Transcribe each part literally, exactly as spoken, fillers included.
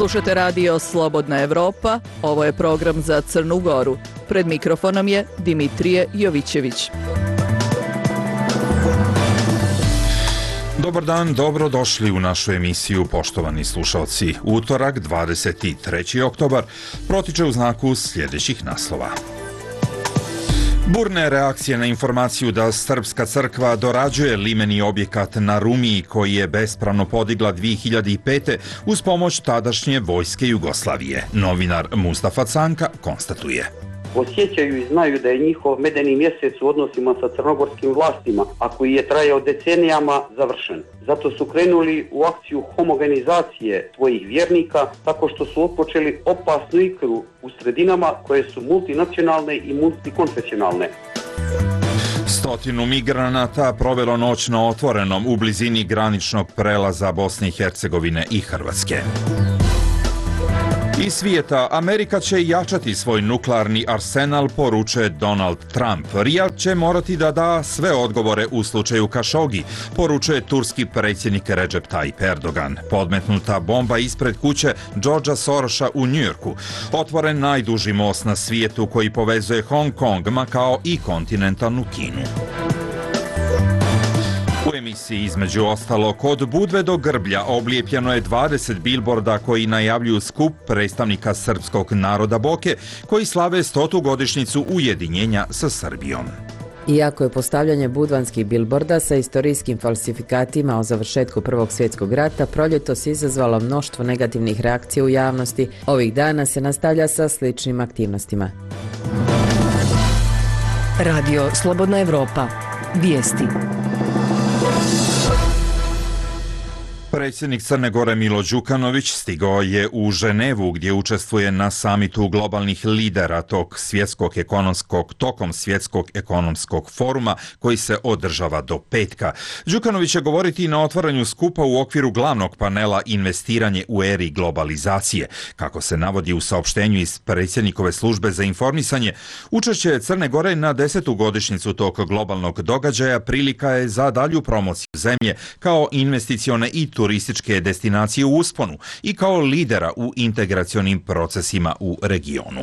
Slušate radio Slobodna Evropa, ovo je program za Crnu Goru. Pred mikrofonom je Dimitrije Jovićević. Dobar dan, dobrodošli u našu emisiju, poštovani slušalci. Utorak, dvadeset treći oktobar, protiče u znaku sljedećih naslova. Burne reakcije na informaciju da Srpska crkva dorađuje limeni objekat na Rumiji koji je bespravno podigla dvije hiljade pete. uz pomoć tadašnje vojske Jugoslavije. Novinar Mustafa Canka konstatuje. Osjećaju i znaju da je njihov medeni mjesec u odnosima sa crnogorskim vlastima, a koji je trajao decenijama, završen. Zato su krenuli u akciju homogenizacije svojih vjernika tako što su otpočeli opasnu igru u sredinama koje su multinacionalne i multikonfesionalne. Stotinu migranata provelo noć na otvorenom u blizini graničnog prelaza Bosne i Hercegovine i Hrvatske. Iz svijeta, Amerika će jačati svoj nuklearni arsenal, poručuje Donald Trump. Rijad će morati da da sve odgovore u slučaju Kašogi, poručuje turski predsjednik Recep Tayyip Erdogan. Podmetnuta bomba ispred kuće Georgea Sorosa u Njujorku. Otvoren najduži most na svijetu koji povezuje Hong Kong, Makao i kontinentalnu Kinu. U emisiji između ostalo, kod Budve do Grblja oblijepljeno je dvadeset bilborda koji najavljuju skup predstavnika srpskog naroda Boke koji slave stotu godišnjicu ujedinjenja sa Srbijom. Iako je postavljanje budvanskih bilborda sa istorijskim falsifikatima o završetku Prvog svjetskog rata proljetos izazvalo mnoštvo negativnih reakcija u javnosti, ovih dana se nastavlja sa sličnim aktivnostima. Radio Slobodna Evropa. Vijesti. Predsjednik Crne Gore Milo Đukanović stigao je u Ženevu gdje učestvuje na samitu globalnih lidera tog svjetskog ekonomskog, tokom svjetskog ekonomskog foruma koji se održava do petka. Đukanović će govoriti na otvaranju skupa u okviru glavnog panela Investiranje u eri globalizacije. Kako se navodi u saopštenju iz predsjednikove službe za informisanje, učešće Crne Gore na desetu godišnjicu tog globalnog događaja prilika je za dalju promociju zemlje kao investicione i turističke destinacije u usponu i kao lidera u integracionim procesima u regionu.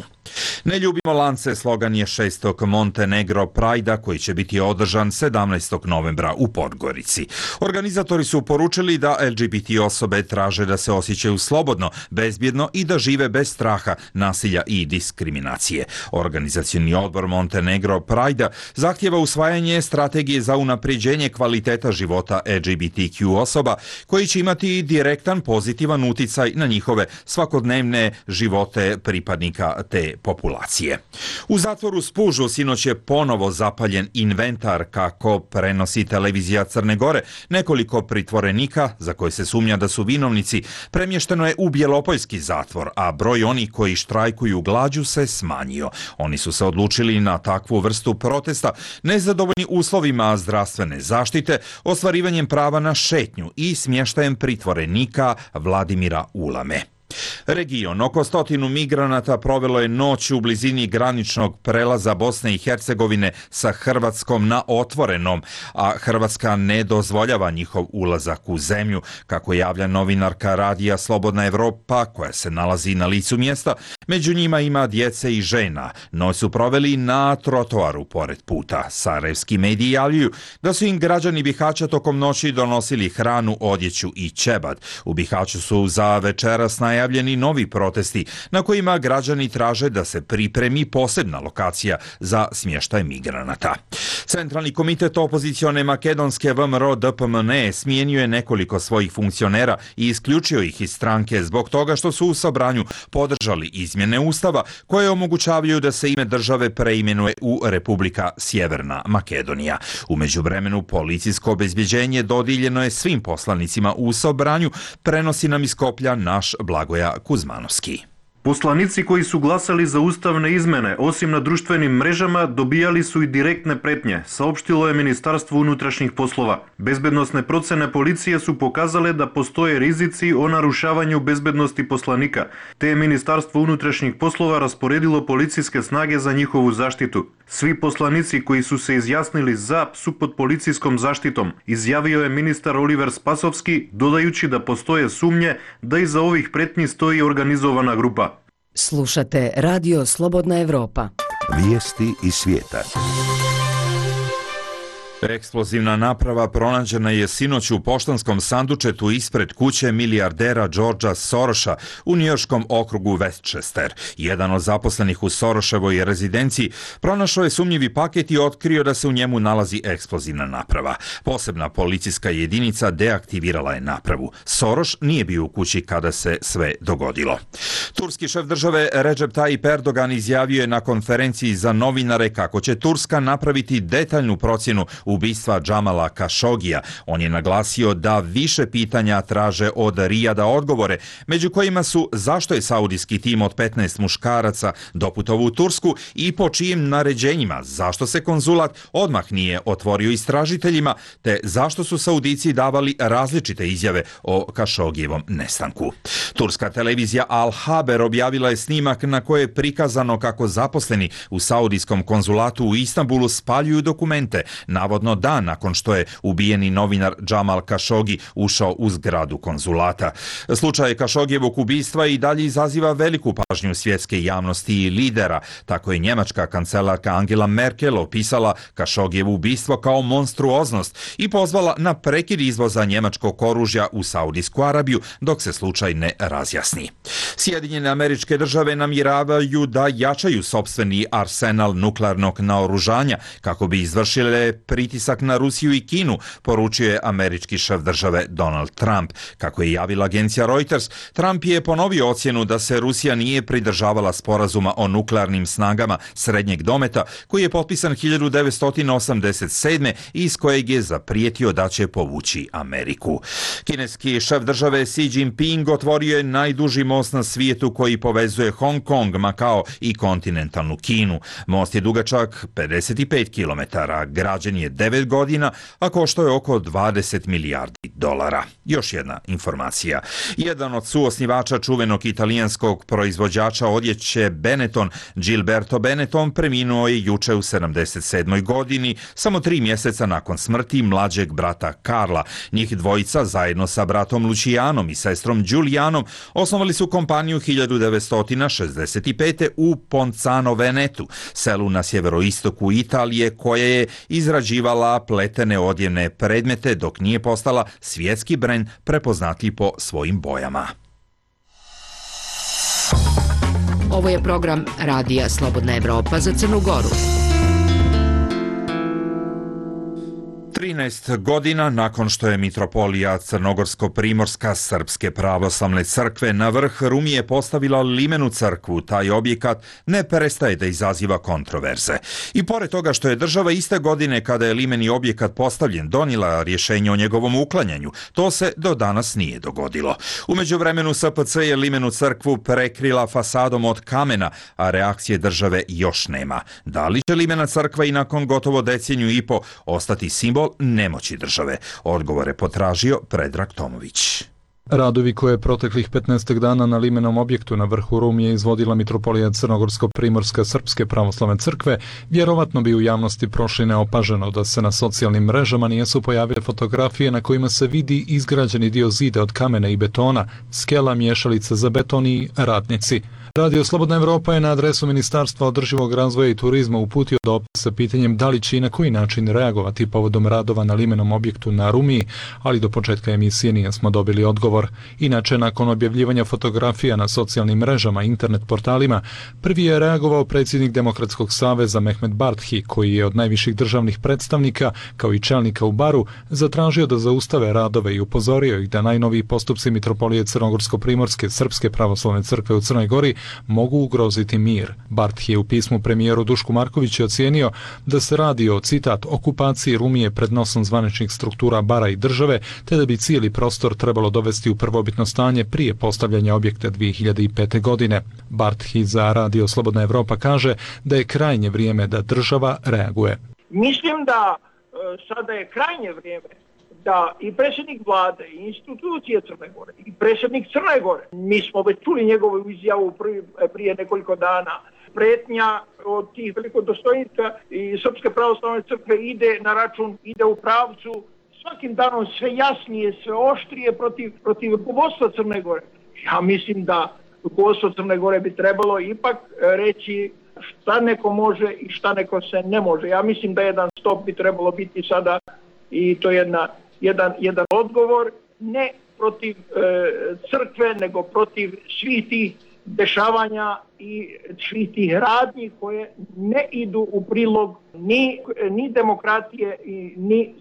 Ne ljubimo lance slogan je šestog Montenegro Prajda koji će biti održan sedamnaestog novembra u Podgorici. Organizatori su poručili da L G B T osobe traže da se osjećaju slobodno, bezbjedno i da žive bez straha, nasilja i diskriminacije. Organizacioni odbor Montenegro Prajda zahtjeva usvajanje strategije za unapređenje kvaliteta života L G B T Q osoba koji će imati direktan pozitivan uticaj na njihove svakodnevne živote pripadnika te populacije. U zatvoru Spužu sinoć je ponovo zapaljen inventar, kako prenosi televizija Crne Gore. Nekoliko pritvorenika, za koje se sumnja da su vinovnici, premješteno je u Bjelopoljski zatvor, a broj onih koji štrajkuju glađu se smanjio. Oni su se odlučili na takvu vrstu protesta, nezadovoljni uslovima zdravstvene zaštite, ostvarivanjem prava na šetnju i smještajem pritvorenika Vladimira Ulame. Region, oko stotinu migranata provelo je noć u blizini graničnog prelaza Bosne i Hercegovine sa Hrvatskom na otvorenom, a Hrvatska ne dozvoljava njihov ulazak u zemlju, kako javlja novinarka radija Slobodna Evropa koja se nalazi na licu mjesta. Među njima ima djece i žena. Noć su proveli na trotoaru pored puta. Sarajevski mediji javljaju da su im građani Bihaća tokom noći donosili hranu, odjeću i ćebad. U Bihaću su za večeras najavljeni novi protesti na kojima građani traže da se pripremi posebna lokacija za smještaj migranata. Centralni komitet opozicione makedonske V M R O D P M N E smijenio je nekoliko svojih funkcionera i isključio ih iz stranke zbog toga što su u sabranju podržali izmjene ustava koje omogućavaju da se ime države preimenuje u Republika Sjeverna Makedonija. U međuvremenu policijsko obezbjeđenje dodijeljeno je svim poslanicima u sabranju, prenosi nam iz Skoplja naš Blagoja Kuzmanovski. Poslanici koji su glasali za ustavne izmene, osim na društvenim mrežama, dobijali su i direktne pretnje, saopštilo je Ministarstvo unutrašnjih poslova. Bezbednosne procene policije su pokazale da postoje rizici o narušavanju bezbednosti poslanika, te je Ministarstvo unutrašnjih poslova rasporedilo policijske snage za njihovu zaštitu. Svi poslanici koji su se izjasnili za su pod policijskom zaštitom, izjavio je ministar Oliver Spasovski, dodajući da postoje sumnje da iza ovih pretnji stoji organizovana grupa. Slušate Radio Slobodna Evropa. Vijesti iz svijeta. Eksplozivna naprava pronađena je sinoć u poštanskom sandučetu ispred kuće milijardera Georgea Sorosa u njujorškom okrugu Westchester. Jedan od zaposlenih u Soroševoj rezidenciji pronašao je sumnjivi paket i otkrio da se u njemu nalazi eksplozivna naprava. Posebna policijska jedinica deaktivirala je napravu. Soros nije bio u kući kada se sve dogodilo. Turski šef države Recep Tayyip Erdogan izjavio je na konferenciji za novinare kako će Turska napraviti detaljnu procjenu ubistva Džamala Kašogija. On je naglasio da više pitanja traže od Rijada odgovore, među kojima su zašto je saudijski tim od petnaest muškaraca doputovao u Tursku i po čijim naređenjima, zašto se konzulat odmah nije otvorio istražiteljima, te zašto su Saudici davali različite izjave o Kašogijevom nestanku. Turska televizija Al Haber objavila je snimak na koje je prikazano kako zaposleni u saudijskom konzulatu u Istanbulu spaljuju dokumente, navodno dan nakon što je ubijeni novinar Džamal Kašogi ušao u zgradu konzulata. Slučaj Kašogijevog ubistva i dalje izaziva veliku pažnju svjetske javnosti i lidera. Tako je njemačka kancelarka Angela Merkel opisala Kašogijevo ubistvo kao monstruoznost i pozvala na prekid izvoza njemačkog oružja u Saudijsku Arabiju dok se slučaj ne razjasni. Sjedinjene Američke Države namjeravaju da jačaju sopstveni arsenal nuklearnog naoružanja kako bi izvršile pritisak na Rusiju i Kinu, poručio je američki šef države Donald Trump. Kako je javila agencija Reuters, Trump je ponovio ocjenu da se Rusija nije pridržavala sporazuma o nuklearnim snagama srednjeg dometa, koji je potpisan hiljadu devetsto osamdeset sedme i iz kojeg je zaprijetio da će povući Ameriku. Kineski šef države Xi Jinping otvorio je najduži most na svijetu koji povezuje Hong Kong, Makao i kontinentalnu Kinu. Most je dugačak pedeset pet kilometara, građen je devet godina, a koštao je oko dvadeset milijardi dolara. Još jedna informacija. Jedan od suosnivača čuvenog italijanskog proizvođača odjeće Benetton, Gilberto Benetton, preminuo je juče u sedamdeset sedmoj godini, samo tri mjeseca nakon smrti mlađeg brata Karla. Njih dvojica zajedno sa bratom Lucijanom i sestrom Giulianom osnovali su kompaniju hiljadu devetsto šezdeset pete. u Ponzano Venetu, selu na sjeveroistoku Italije, koja je izrađivala pletene odjevne predmete dok nije postala svjetski brend prepoznatljiv po svojim bojama. Ovo je program Radija Slobodna Evropa za Crnu Goru. trinaest godina nakon što je mitropolija Crnogorsko-primorska Srpske pravoslavne crkve na vrh Rumije postavila limenu crkvu, taj objekat ne prestaje da izaziva kontroverze. I pored toga što je država iste godine kada je limeni objekat postavljen donijela rješenje o njegovom uklanjanju, to se do danas nije dogodilo. U međuvremenu S P C je limenu crkvu prekrila fasadom od kamena, a reakcije države još nema. Da li će limena crkva i nakon gotovo deceniju i po ostati simbol nemoći države? Odgovore potražio Predrag Tomović. Radovi koje je proteklih petnaest dana na limenom objektu na vrhu Rumije izvodila mitropolija Crnogorsko-primorska Srpske pravoslavne crkve, vjerovatno bi u javnosti prošli neopaženo da se na socijalnim mrežama nijesu pojavile fotografije na kojima se vidi izgrađeni dio zida od kamena i betona, skela, miješalica za beton i radnici. Radio Slobodna Evropa je na adresu Ministarstva održivog razvoja i turizma uputio dopis sa pitanjem da li će i na koji način reagovati povodom radova na limenom objektu na Rumiji, ali do početka emisije nismo dobili odgovor. Inače, nakon objavljivanja fotografija na socijalnim mrežama i internet portalima, prvi je reagovao predsjednik Demokratskog saveza Mehmet Barthi, koji je od najviših državnih predstavnika, kao i čelnika u Baru, zatražio da zaustave radove i upozorio ih da najnoviji postupci mitropolije Crnogorsko-primorske Srpske pravoslavne crkve u Crnoj Gori mogu ugroziti mir. Barth je u pismu premijeru Dušku Markoviću ocijenio da se radi o, citat, okupaciji Rumije pred nosom zvaničnih struktura bara i države, te da bi cijeli prostor trebalo dovesti u prvobitno stanje prije postavljanja objekta dvije hiljade pete. godine. Barth za Radio Slobodna Evropa kaže da je krajnje vrijeme da država reaguje. Mislim da e, sada je krajnje vrijeme da i predsjednik vlade, i institucije Crne Gore, i predsjednik Crne Gore, mi smo već čuli njegovu izjavu prije, prije nekoliko dana, pretnja od tih velikodostojnika i Srpske pravoslavne crkve ide na račun, ide u pravcu svakim danom sve jasnije, sve oštrije protiv, protiv rukovodstva Crne Gore. Ja mislim da rukovodstvo Crne Gore bi trebalo ipak reći šta neko može i šta neko se ne može. Ja mislim da jedan stop bi trebalo biti sada i to je jedna, jedan, jedan odgovor ne protiv e, crkve, nego protiv svih tih dešavanja i svih tih radnji koje ne idu u prilog ni, ni demokratije i ni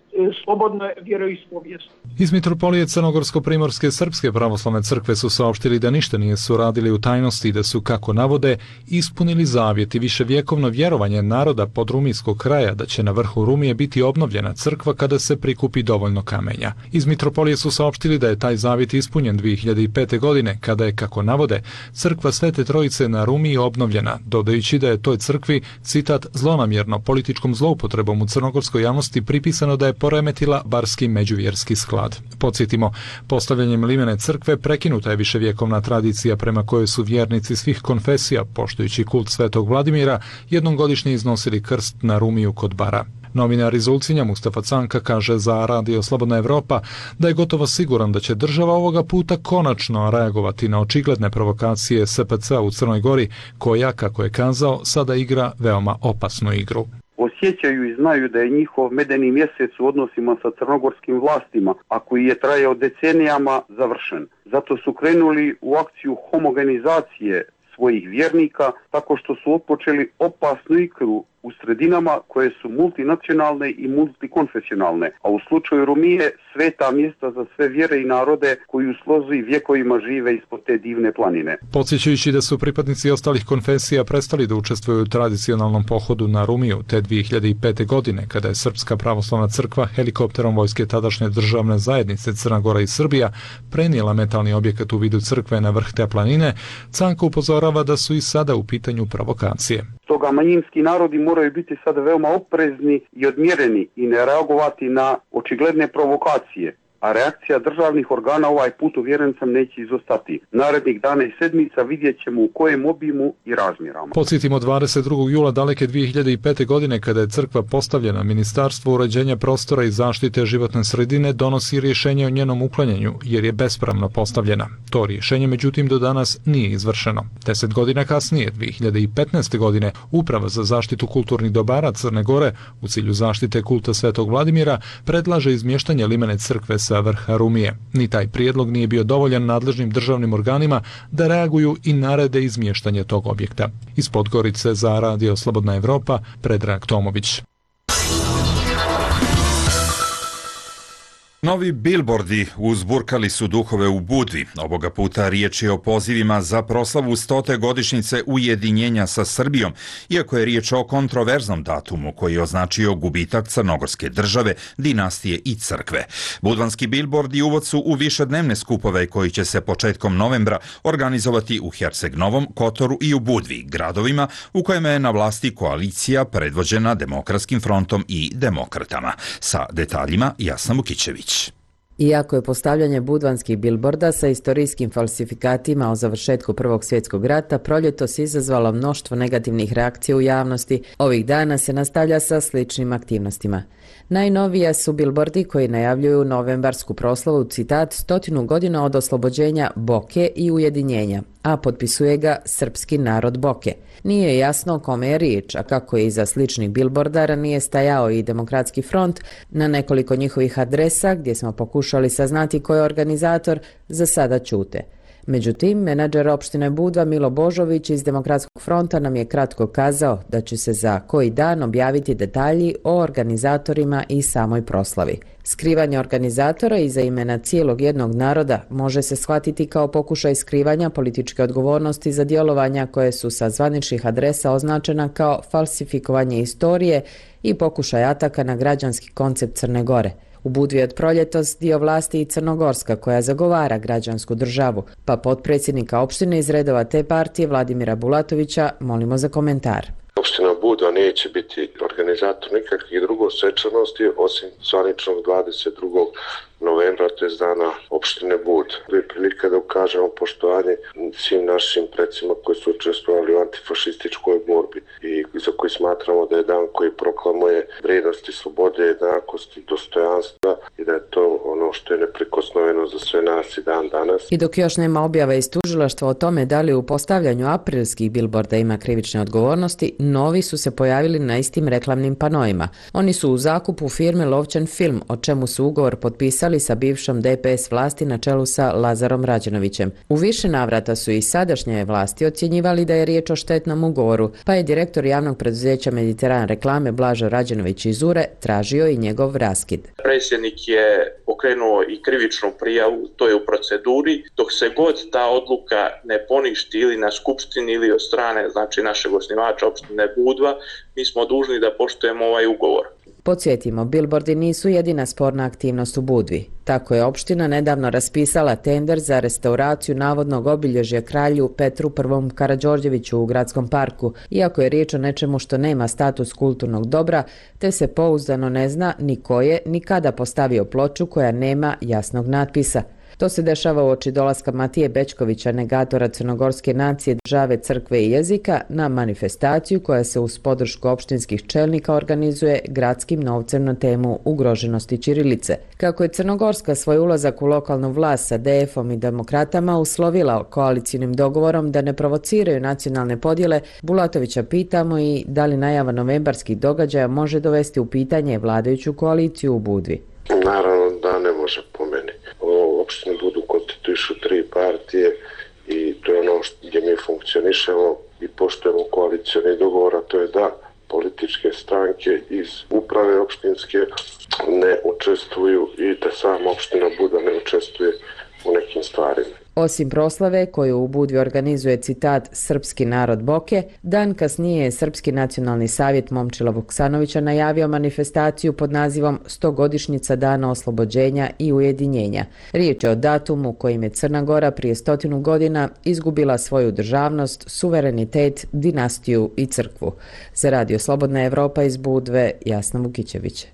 slobodne vjeroispovijesti. Iz Mitropolije Crnogorsko-Primorske Srpske pravoslavne crkve su saopštili da ništa nije su radili u tajnosti i da su, kako navode, ispunili zavjet i viševjekovno vjerovanje naroda podrumijskog kraja da će na vrhu Rumije biti obnovljena crkva kada se prikupi dovoljno kamenja. Iz Mitropolije su saopštili da je taj zavjet ispunjen dvije hiljade pete. godine, kada je, kako navode, crkva Svete Trojice na Rumiji obnovljena, dodajući da je toj crkvi, citat, zlonamjerno političkom zloupotrebom u crnogorskoj javnosti pripisano da je poremetila barski međuvjerski sklad. Podsjetimo, postavljanjem limene crkve prekinuta je viševjekovna tradicija prema kojoj su vjernici svih konfesija, poštujući kult Svetog Vladimira, jednom godišnje iznosili krst na Rumiju kod bara. Novinar iz Ulcinja Mustafa Canka kaže za Radio Slobodna Evropa da je gotovo siguran da će država ovoga puta konačno reagovati na očigledne provokacije S P C-a u Crnoj Gori, koja, kako je kazao, sada igra veoma opasnu igru. Osjećaju i znaju da je njihov medeni mjesec u odnosima sa crnogorskim vlastima, a koji je trajao decenijama, završen. Zato su krenuli u akciju homogenizacije svojih vjernika tako što su otpočeli opasnu igru u sredinama koje su multinacionalne i multikonfesionalne, a u slučaju Rumije sveta mjesta za sve vjere i narode koji u slozi vjekovima žive ispod te divne planine. Podsjećajući da su pripadnici ostalih konfesija prestali da učestvuju u tradicionalnom pohodu na Rumiju te dvije hiljade pete. godine, kada je Srpska pravoslavna crkva helikopterom vojske tadašnje državne zajednice Crna Gora i Srbija prenijela metalni objekat u vidu crkve na vrh te planine, Canko upozorava da su i sada u pitanju provokacije. Stoga manjinski narodi moraju biti sada veoma oprezni i odmjereni i ne reagovati na očigledne provokacije, a reakcija državnih organa ovaj put, uvjeren sam, neće izostati. Narednih dana i sedmica vidjet ćemo u kojem obimu i razmjerama. Podsjetimo, dvadeset drugog jula daleke dvije hiljade pete. godine, kada je crkva postavljena, Ministarstvo uređenja prostora i zaštite životne sredine donosi rješenje o njenom uklanjanju, jer je bespravno postavljena. To rješenje, međutim, do danas nije izvršeno. Deset godina kasnije, dvije hiljade petnaeste. godine, Uprava za zaštitu kulturnih dobara Crne Gore, u cilju zaštite kulta Svetog Vladimira, predlaže izmještanje limene crkve sa vrha Rumije. Ni taj prijedlog nije bio dovoljan nadležnim državnim organima da reaguju i narede izmještanje tog objekta. Iz Podgorice za Radio Slobodna Evropa, Predrag Tomović. Novi bilbordi uzburkali su duhove u Budvi. Ovoga puta riječ je o pozivima za proslavu stote godišnjice ujedinjenja sa Srbijom, iako je riječ o kontroverznom datumu koji je označio gubitak crnogorske države, dinastije i crkve. Budvanski bilbordi uvod su u višednevne skupove koji će se početkom novembra organizovati u Herceg-Novom, Kotoru i u Budvi, gradovima u kojima je na vlasti koalicija predvođena Demokratskim frontom i demokratama. Sa detaljima Jasna Vukićević. Iako je postavljanje budvanskih bilborda sa istorijskim falsifikatima o završetku Prvog svjetskog rata proljetos izazvalo mnoštvo negativnih reakcija u javnosti, ovih dana se nastavlja sa sličnim aktivnostima. Najnovija su bilbordi koji najavljuju novembarsku proslavu, citat, stotinu godina od oslobođenja Boke i ujedinjenja, a potpisuje ga srpski narod Boke. Nije jasno o kome je riječ, a kako je iza sličnih bilbordara nije stajao i Demokratski front, na nekoliko njihovih adresa gdje smo pokušali saznati ko je organizator, za sada ćute. Međutim, menadžer opštine Budva Milo Božović iz Demokratskog fronta nam je kratko kazao da će se za koji dan objaviti detalji o organizatorima i samoj proslavi. Skrivanje organizatora iza imena cijelog jednog naroda može se shvatiti kao pokušaj skrivanja političke odgovornosti za djelovanja koje su sa zvaničnih adresa označena kao falsifikovanje istorije i pokušaj ataka na građanski koncept Crne Gore. U Budvi od proljetos dio vlasti i Crnogorska koja zagovara građansku državu, pa potpredsjednika opštine iz redova te partije Vladimira Bulatovića molimo za komentar. Opština Budva neće biti organizator nikakvih drugih svečanosti osim zvaničnog dvadeset drugog novembra, to je dana opštine Budva. To je prilika da ukažemo poštovanje svim našim predsima koji su učestvovali u antifašističkoj borbi i za koji smatramo da je dan koji proklamuje vrijednosti slobode, jednakosti, dostojanstva i da je to ono što je neprikosnoveno za sve nas i dan danas. I dok još nema objava iz tužilaštva o tome da li u postavljanju aprilskih bilborda ima krivične odgovornosti, novi su se pojavili na istim reklamnim panoima. Oni su u zakupu firme Lovćen film, o čemu su ugovor potpisali sa bivšom D P S vlasti na čelu sa Lazarom Rađenovićem. U više navrata su i sadašnje vlasti ocjenjivali da je riječ o štetnom ugovoru, pa je direktor javnog preduzeća Mediteran reklame Blažo Rađenović iz Ure tražio i njegov raskid. Predsjednik je pokrenuo i krivičnu prijavu, to je u proceduri, dok se god ta odluka ne poništi ili na skupštini ili od strane, znači našeg osnivača opštine Budva, mi smo dužni da poštujemo ovaj ugovor. Podsjetimo, bilbordi nisu jedina sporna aktivnost u Budvi. Tako je opština nedavno raspisala tender za restauraciju navodnog obilježja kralju Petru I. Karađorđeviću u gradskom parku, iako je riječ o nečemu što nema status kulturnog dobra, te se pouzdano ne zna ni ko je ni kada postavio ploču koja nema jasnog natpisa. To se dešava uoči dolaska Matije Bećkovića, negatora crnogorske nacije, države, crkve i jezika, na manifestaciju koja se uz podršku opštinskih čelnika organizuje gradskim novcem na temu ugroženosti ćirilice. Kako je Crnogorska svoj ulazak u lokalnu vlast sa D F-om i demokratama uslovila koalicijnim dogovorom da ne provociraju nacionalne podjele, Bulatovića pitamo i da li najava novembarskih događaja može dovesti u pitanje vladajuću koaliciju u Budvi. Naravno da ne može po meni. U opštini Budvu konstituišu tri partije i to je ono gdje mi funkcionišemo i poštujemo koalicijni dogovor, a to je da političke stranke iz uprave opštinske ne učestvuju i da sama opština Budva ne učestvuje u nekim stvarima. Osim proslave koju u Budvi organizuje citat Srpski narod Boke, dan kasnije je Srpski nacionalni savjet Momčila Vuksanovića najavio manifestaciju pod nazivom stogodišnjica dana oslobođenja i ujedinjenja. Riječ je o datumu kojim je Crna Gora prije stotinu godina izgubila svoju državnost, suverenitet, dinastiju i crkvu. Za Radio Slobodna Evropa iz Budve, Jasna Vukićević.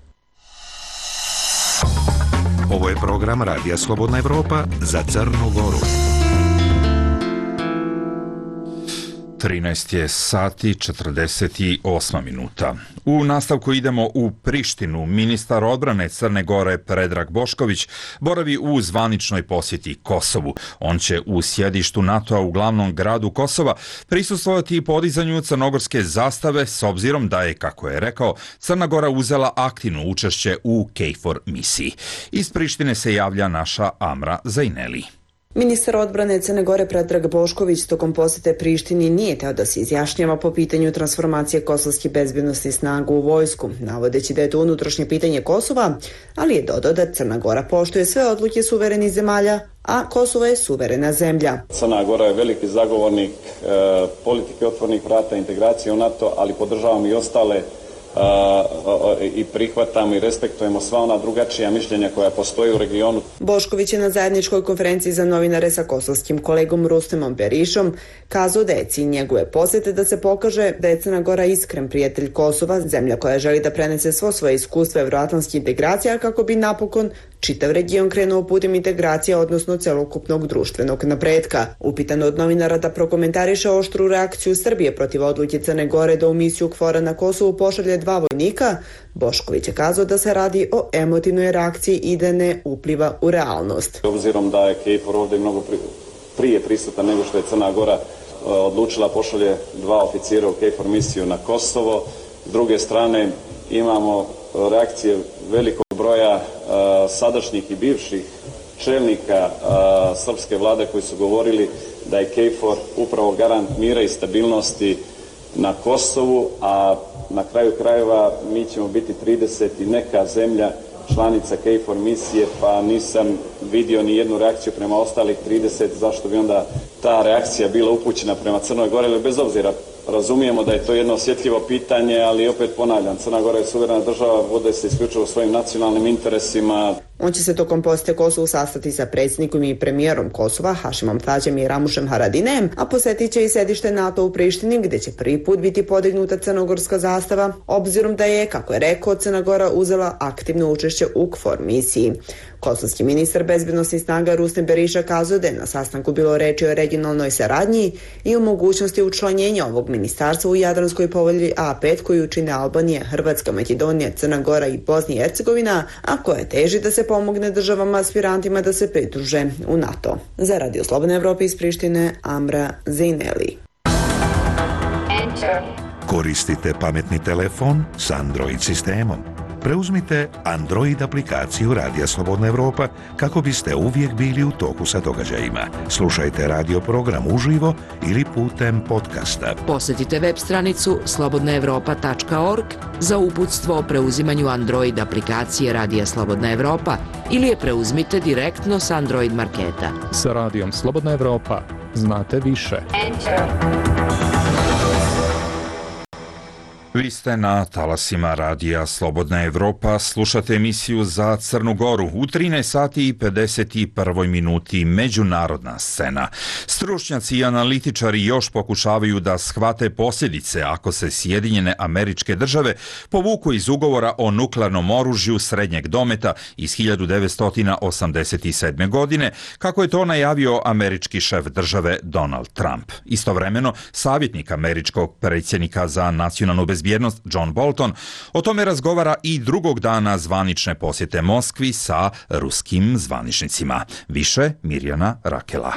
Ovo je program Radija Slobodna Evropa za Crnu Goru. trinaest je sati četrdeset osam minuta. U nastavku idemo u Prištinu. Ministar odbrane Crne Gore Predrag Bošković boravi u zvaničnoj posjeti Kosovu. On će u sjedištu NATO-a u glavnom gradu Kosova prisustvovati podizanju crnogorske zastave s obzirom da je, kako je rekao, Crna Gora uzela aktivno učešće u KFOR misiji. Iz Prištine se javlja naša Amra Zajneli. Ministar odbrane Crne Gore Predrag Bošković tokom posjete Prištini nije teo da se izjašnjava po pitanju transformacije kosovskih bezbjednosnih snaga u vojsku, navodeći da je to unutrašnje pitanje Kosova, ali je dodao da Crna Gora poštuje sve odluke suverenih zemalja, a Kosovo je suverena zemlja. Crna Gora je veliki zagovornik e, politike otvornih vrata, integracije u NATO, ali podržavamo i ostale i prihvatamo i respektujemo sva ona drugačija mišljenja koja postoje u regionu. Bošković je na zajedničkoj konferenciji za novinare sa kosovskim kolegom Rustemom Berišom kazao da je cilj njegove posjete da se pokaže da je Crna Gora iskren prijatelj Kosova, zemlja koja želi da prenese svo svoje iskustvo evroatlantskih integracija kako bi napokon čitav region krenuo putem integracija, odnosno celokupnog društvenog napretka. Upitan od novinara da prokomentariše oštru reakciju Srbije protiv odluke Crne Gore da u misiju KFOR-a na Kosovu pošalje dva vojnika, Bošković je kazao da se radi o emotivnoj reakciji i da ne upliva u realnost. Obzirom da je KFOR ovdje mnogo prije prisutan nego što je Crna Gora odlučila pošalje dva oficira u KFOR misiju na Kosovo, s druge strane imamo reakcije velikog broja sadašnjih i bivših čelnika a, srpske vlade koji su govorili da je KFOR upravo garant mira i stabilnosti na Kosovu, a na kraju krajeva mi ćemo biti trideset i neka zemlja članica KFOR misije, pa nisam vidio ni jednu reakciju prema ostalih trideset, zašto bi onda ta reakcija bila upućena prema Crnoj Gori, ali bez obzira razumijemo da je to jedno osjetljivo pitanje, ali opet ponavljam, Crna Gora je suverena država, vode se isključivo svojim nacionalnim interesima. On će se tokom posjete Kosovu sastati sa predsjednikom i premijerom Kosova, Hašimom Tađem i Ramušem Haradinem, a posjetit će i sedište NATO u Prištini, gdje će prvi put biti podignuta crnogorska zastava, obzirom da je, kako je rekao, Crna Gora uzela aktivno učešće u KFOR misiji. Kosovski ministar bezbednosnih snaga Rustem Beriša kazao da je na sastanku bilo reči o regionalnoj saradnji i o mogućnosti učlanjenja ovog ministarstva u Jadranskoj povelji A pet koju čine Albanija, Hrvatska, Makedonija, Crna Gora i Bosna i Hercegovina, a koja teži da se pomogne državama aspirantima da se pridruže u NATO. Za Radio Slobodne Evrope iz Prištine, Amra Zejneli. Koristite pametni telefon s Android sistemom. Preuzmite Android aplikaciju Radija Slobodna Evropa kako biste uvijek bili u toku sa događajima. Slušajte radio program uživo ili putem podcasta. Posjetite web stranicu slobodna evropa tačka org za uputstvo o preuzimanju Android aplikacije Radija Slobodna Evropa ili je preuzmite direktno s Android marketa. Sa Radijom Slobodna Evropa znate više. Enter. Vi ste na talasima Radija Slobodna Evropa, slušate emisiju za Crnu Goru u trinaest sati i pedeset prvoj minuti međunarodna scena. Stručnjaci i analitičari još pokušavaju da shvate posljedice ako se Sjedinjene Američke Države povuku iz ugovora o nuklearnom oružju srednjeg dometa iz hiljadu devetsto osamdeset sedme. godine, kako je to najavio američki šef države Donald Trump. Istovremeno, savjetnik američkog predsjednika za nacionalnu bezbjednost John Bolton o tome razgovara i drugog dana zvanične posjete Moskvi sa ruskim zvaničnicima. Više Mirjana Rakela.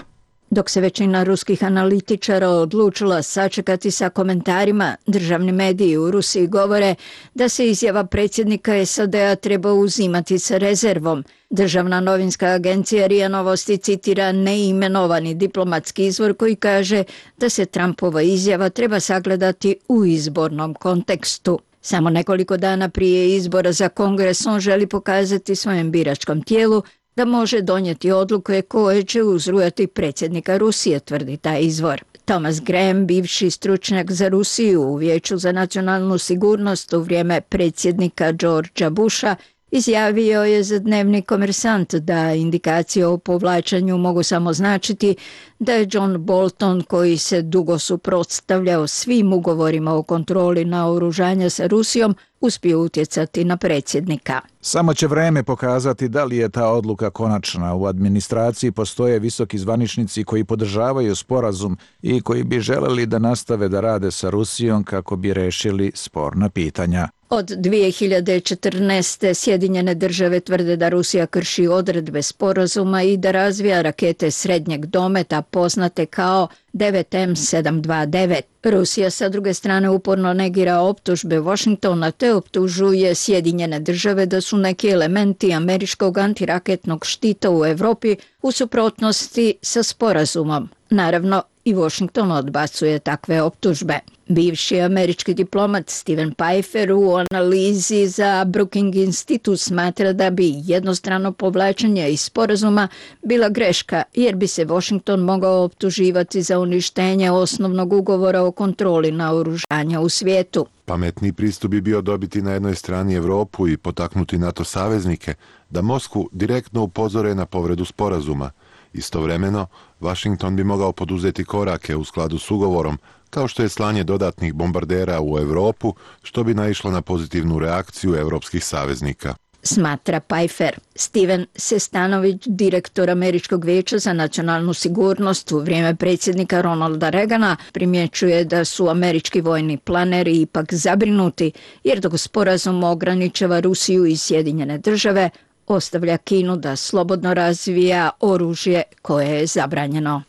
Dok se većina ruskih analitičara odlučila sačekati sa komentarima, državni mediji u Rusiji govore da se izjava predsjednika S A D-a treba uzimati sa rezervom. Državna novinska agencija R I A Novosti citira neimenovani diplomatski izvor koji kaže da se Trumpova izjava treba sagledati u izbornom kontekstu. Samo nekoliko dana prije izbora za Kongres on želi pokazati svojem biračkom tijelu da može donijeti odluke koje će uzrujati predsjednika Rusije, tvrdi taj izvor. Thomas Graham, bivši stručnjak za Rusiju u Vijeću za nacionalnu sigurnost u vrijeme predsjednika Georgea Busha, izjavio je za dnevni Komersant da indikacije o povlačenju mogu samo značiti da je John Bolton, koji se dugo suprotstavljao svim ugovorima o kontroli naoružanja sa Rusijom, uspio utjecati na predsjednika. Samo će vreme pokazati da li je ta odluka konačna. U administraciji postoje visoki zvaničnici koji podržavaju sporazum i koji bi želeli da nastave da rade sa Rusijom kako bi rešili sporna pitanja. Od dvije hiljade četrnaeste. Sjedinjene države tvrde da Rusija krši odredbe sporazuma i da razvija rakete srednjeg dometa poznate kao devet M sedam dva devet. Rusija sa druge strane uporno negira optužbe Washingtona te optužuje Sjedinjene države da su neki elementi američkog antiraketnog štita u Europi u suprotnosti sa sporazumom. Naravno, i Washington odbacuje takve optužbe. Bivši američki diplomat Steven Pifer u analizi za Brookings Institute smatra da bi jednostrano povlačenje iz sporazuma bila greška, jer bi se Washington mogao optuživati za uništenje osnovnog ugovora o kontroli naoružanja u svijetu. Pametni pristup bi bio dobiti na jednoj strani Evropu i potaknuti NATO saveznike da Moskvu direktno upozore na povredu sporazuma. Istovremeno, Washington bi mogao poduzeti korake u skladu s ugovorom, kao što je slanje dodatnih bombardera u Evropu, što bi naišlo na pozitivnu reakciju evropskih saveznika. Smatra Pfeiffer. Steven Sestanović, direktor Američkog vijeća za nacionalnu sigurnost u vrijeme predsjednika Ronalda Reagana, primjećuje da su američki vojni planeri ipak zabrinuti, jer dok sporazum ograničava Rusiju i Sjedinjene države, ostavlja Kinu da slobodno razvija oružje koje je zabranjeno.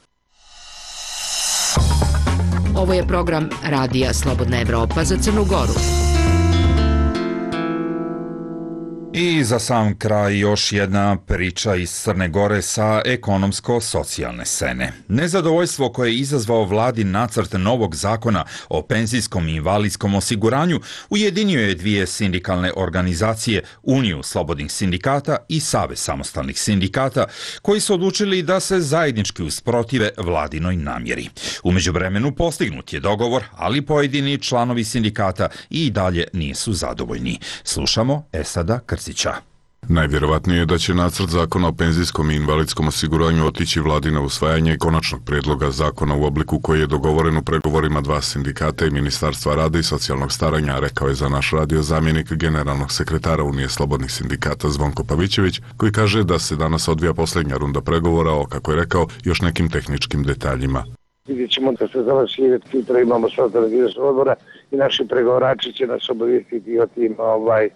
Ovo je program Radija Slobodna Evropa za Crnu Goru. I za sam kraj još jedna priča iz Crne Gore sa ekonomsko-socijalne scene. Nezadovoljstvo koje je izazvao vladin nacrt novog zakona o penzijskom i invalidskom osiguranju ujedinio je dvije sindikalne organizacije, Uniju slobodnih sindikata i Savez samostalnih sindikata, koji su odlučili da se zajednički usprotive vladinoj namjeri. U međuvremenu postignut je dogovor, ali pojedini članovi sindikata i dalje nisu zadovoljni. Slušamo Esada Krcića. Najvjerovatnije je da će nacrt zakona o penzijskom i invalidskom osiguranju otići vladi na usvajanje konačnog prijedloga zakona u obliku koji je dogovoren u pregovorima dva sindikata i Ministarstva rada i socijalnog staranja, rekao je za naš radio zamjenik generalnog sekretara Unije slobodnih sindikata Zvonko Pavićević, koji kaže da se danas odvija posljednja runda pregovora o, kako je rekao, još nekim tehničkim detaljima. Vidjet ćemo da se završi, sutra imamo sastanak izvršnog odbora i naši pregovarači će nas obavijestiti o tim, ovaj,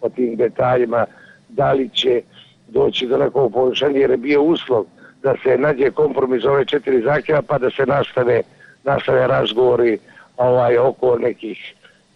o tim detaljima, da li će doći do nekog poboljšanja, jer je bio uslov da se nađe kompromis ove četiri zahtjeva pa da se nastave, nastave razgovori ovaj, oko nekih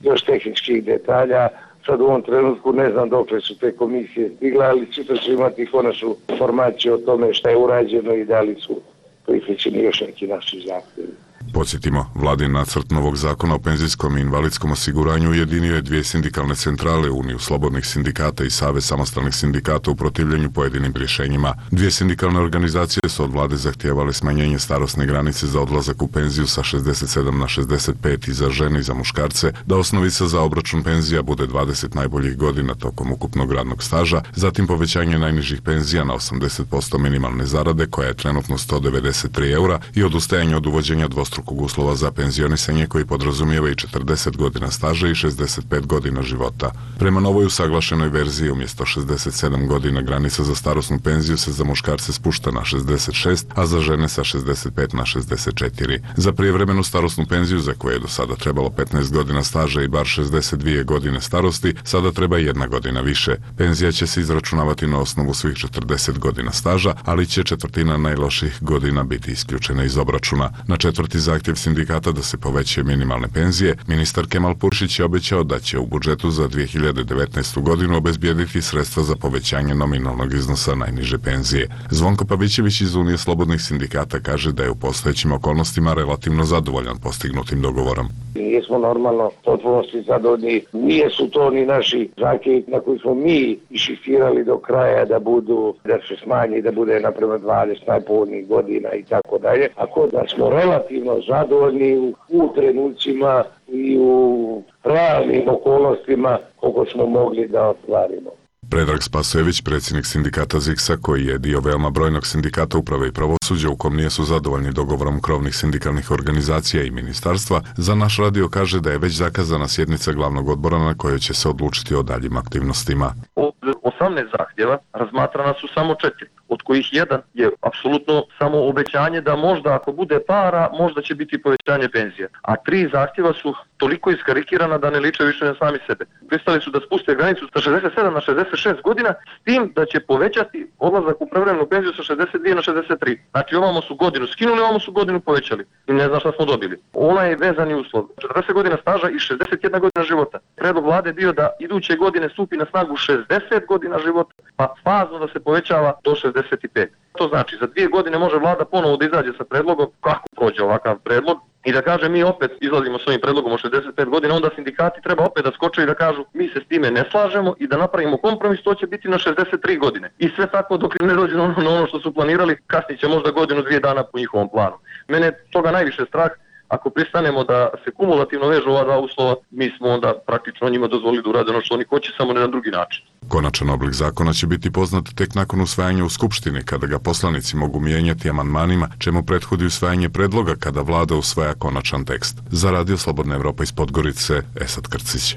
još tehničkih detalja. Sad u ovom trenutku ne znam dokle su te komisije stigle, ali sutra će imati konačnu informaciju o tome šta je urađeno i da li su prihvaćeni još neki naši zahtjevi. Podsjetimo, vladin nacrt novog zakona o penzijskom i invalidskom osiguranju ujedinio je dvije sindikalne centrale, Uniju slobodnih sindikata i Savez samostalnih sindikata u protivljenju pojedinim rješenjima. Dvije sindikalne organizacije su od vlade zahtijevale smanjenje starosne granice za odlazak u penziju sa šezdeset sedam na šezdeset pet i za žene i za muškarce, da osnovica za obračun penzija bude dvadeset najboljih godina tokom ukupnog radnog staža, zatim povećanje najnižih penzija na osamdeset posto minimalne zarade, koja je trenutno sto devedeset tri eura, i odustajanje od uvođenja dvostrukog uslova za penzionisanje koji podrazumijeva i četrdeset godina staža i šezdeset pet godina života. Prema novoj usaglašenoj verziji umjesto šezdeset sedam godina granica za starosnu penziju se za muškarce spušta na šezdeset šest, a za žene sa šezdeset pet na šezdeset četiri. Za prijevremenu starosnu penziju, za koje je do sada trebalo petnaest godina staža i bar šezdeset dvije godine starosti, sada treba jedna godina više. Penzija će se izračunavati na osnovu svih četrdeset godina staža, ali će četvrtina najloših godina biti isključena iz obračuna. Na četvrti zahtjev sindikata da se povećaju minimalne penzije, ministar Kemal Puršić je obećao da će u budžetu za dvije hiljade devetnaestu. godinu obezbijediti sredstva za povećanje nominalnog iznosa najniže penzije. Zvonko Pavićević iz Unije slobodnih sindikata kaže da je u postojećim okolnostima relativno zadovoljan postignutim dogovorom. Nismo normalno potpunosti zadovoljni, nije su to ni naši zahtjevi na koji smo mi išifirali do kraja da budu, da se smanji, da bude naprema dvadeset najpovoljnijih godina i tako dalje. Ako da smo relativno zadovoljni u, u trenucima i u realnim okolnostima koliko smo mogli da ostvarimo. Predrag Spasojević, predsjednik sindikata Ziksa, koji je dio veoma brojnog sindikata uprave i pravosuđa u kom nisu zadovoljni dogovorom krovnih sindikalnih organizacija i ministarstva, za naš radio kaže da je već zakazana sjednica glavnog odbora na kojoj će se odlučiti o daljim aktivnostima. Od osamnaest zahtjeva razmatrana su samo četiri, od kojih jedan je apsolutno samo obećanje da možda ako bude para, možda će biti povećanje penzija. A tri zahtjeva su toliko iskarikirana da ne liče više na sami sebe. Pristali su da spuste granicu sa šezdeset sedam na šezdeset šest godina, s tim da će povećati odlazak u prevremenu penziju sa šezdeset dvije na šezdeset tri. Znači ovamo su godinu skinuli, ovamo su godinu povećali. I ne znam šta smo dobili. Onaj je vezani uslov. četrdeset godina staža i šezdeset jedna godina života. Predlog vlade bio da iduće godine stupi na snagu šezdeset godina života, pa fazno da se povećava do šezdeset pet. To znači za dvije godine može vlada ponovo da izađe sa predlogom, kako prođe ovakav predlog, i da kaže mi opet izlazimo s ovim predlogom o šezdeset pet godina, onda sindikati treba opet da skoče i da kažu mi se s time ne slažemo i da napravimo kompromis, to će biti na šezdeset tri godine. I sve tako dok ne dođe na ono, na ono što su planirali, kasnije će možda godinu, dvije dana po njihovom planu. Mene je toga najviše strah. Ako pristanemo da se kumulativno vežu ova dva uslova, mi smo onda praktično njima dozvolili da urade ono što oni hoće, samo ne na drugi način. Konačan oblik zakona će biti poznat tek nakon usvajanja u Skupštini, kada ga poslanici mogu mijenjati amandmanima, čemu prethodi usvajanje predloga kada vlada usvaja konačan tekst. Za Radio Slobodna Evropa iz Podgorice, Esad Krcić.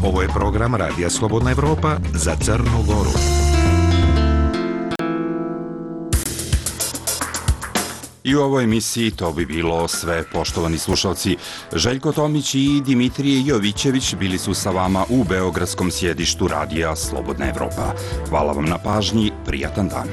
Ovo je program Radija Slobodna Evropa za Crnu Goru. I u ovoj emisiji to bi bilo sve, poštovani slušalci. Željko Tomić i Dimitrije Jovićević bili su sa vama u beogradskom sjedištu Radija Slobodna Evropa. Hvala vam na pažnji, prijatan dan.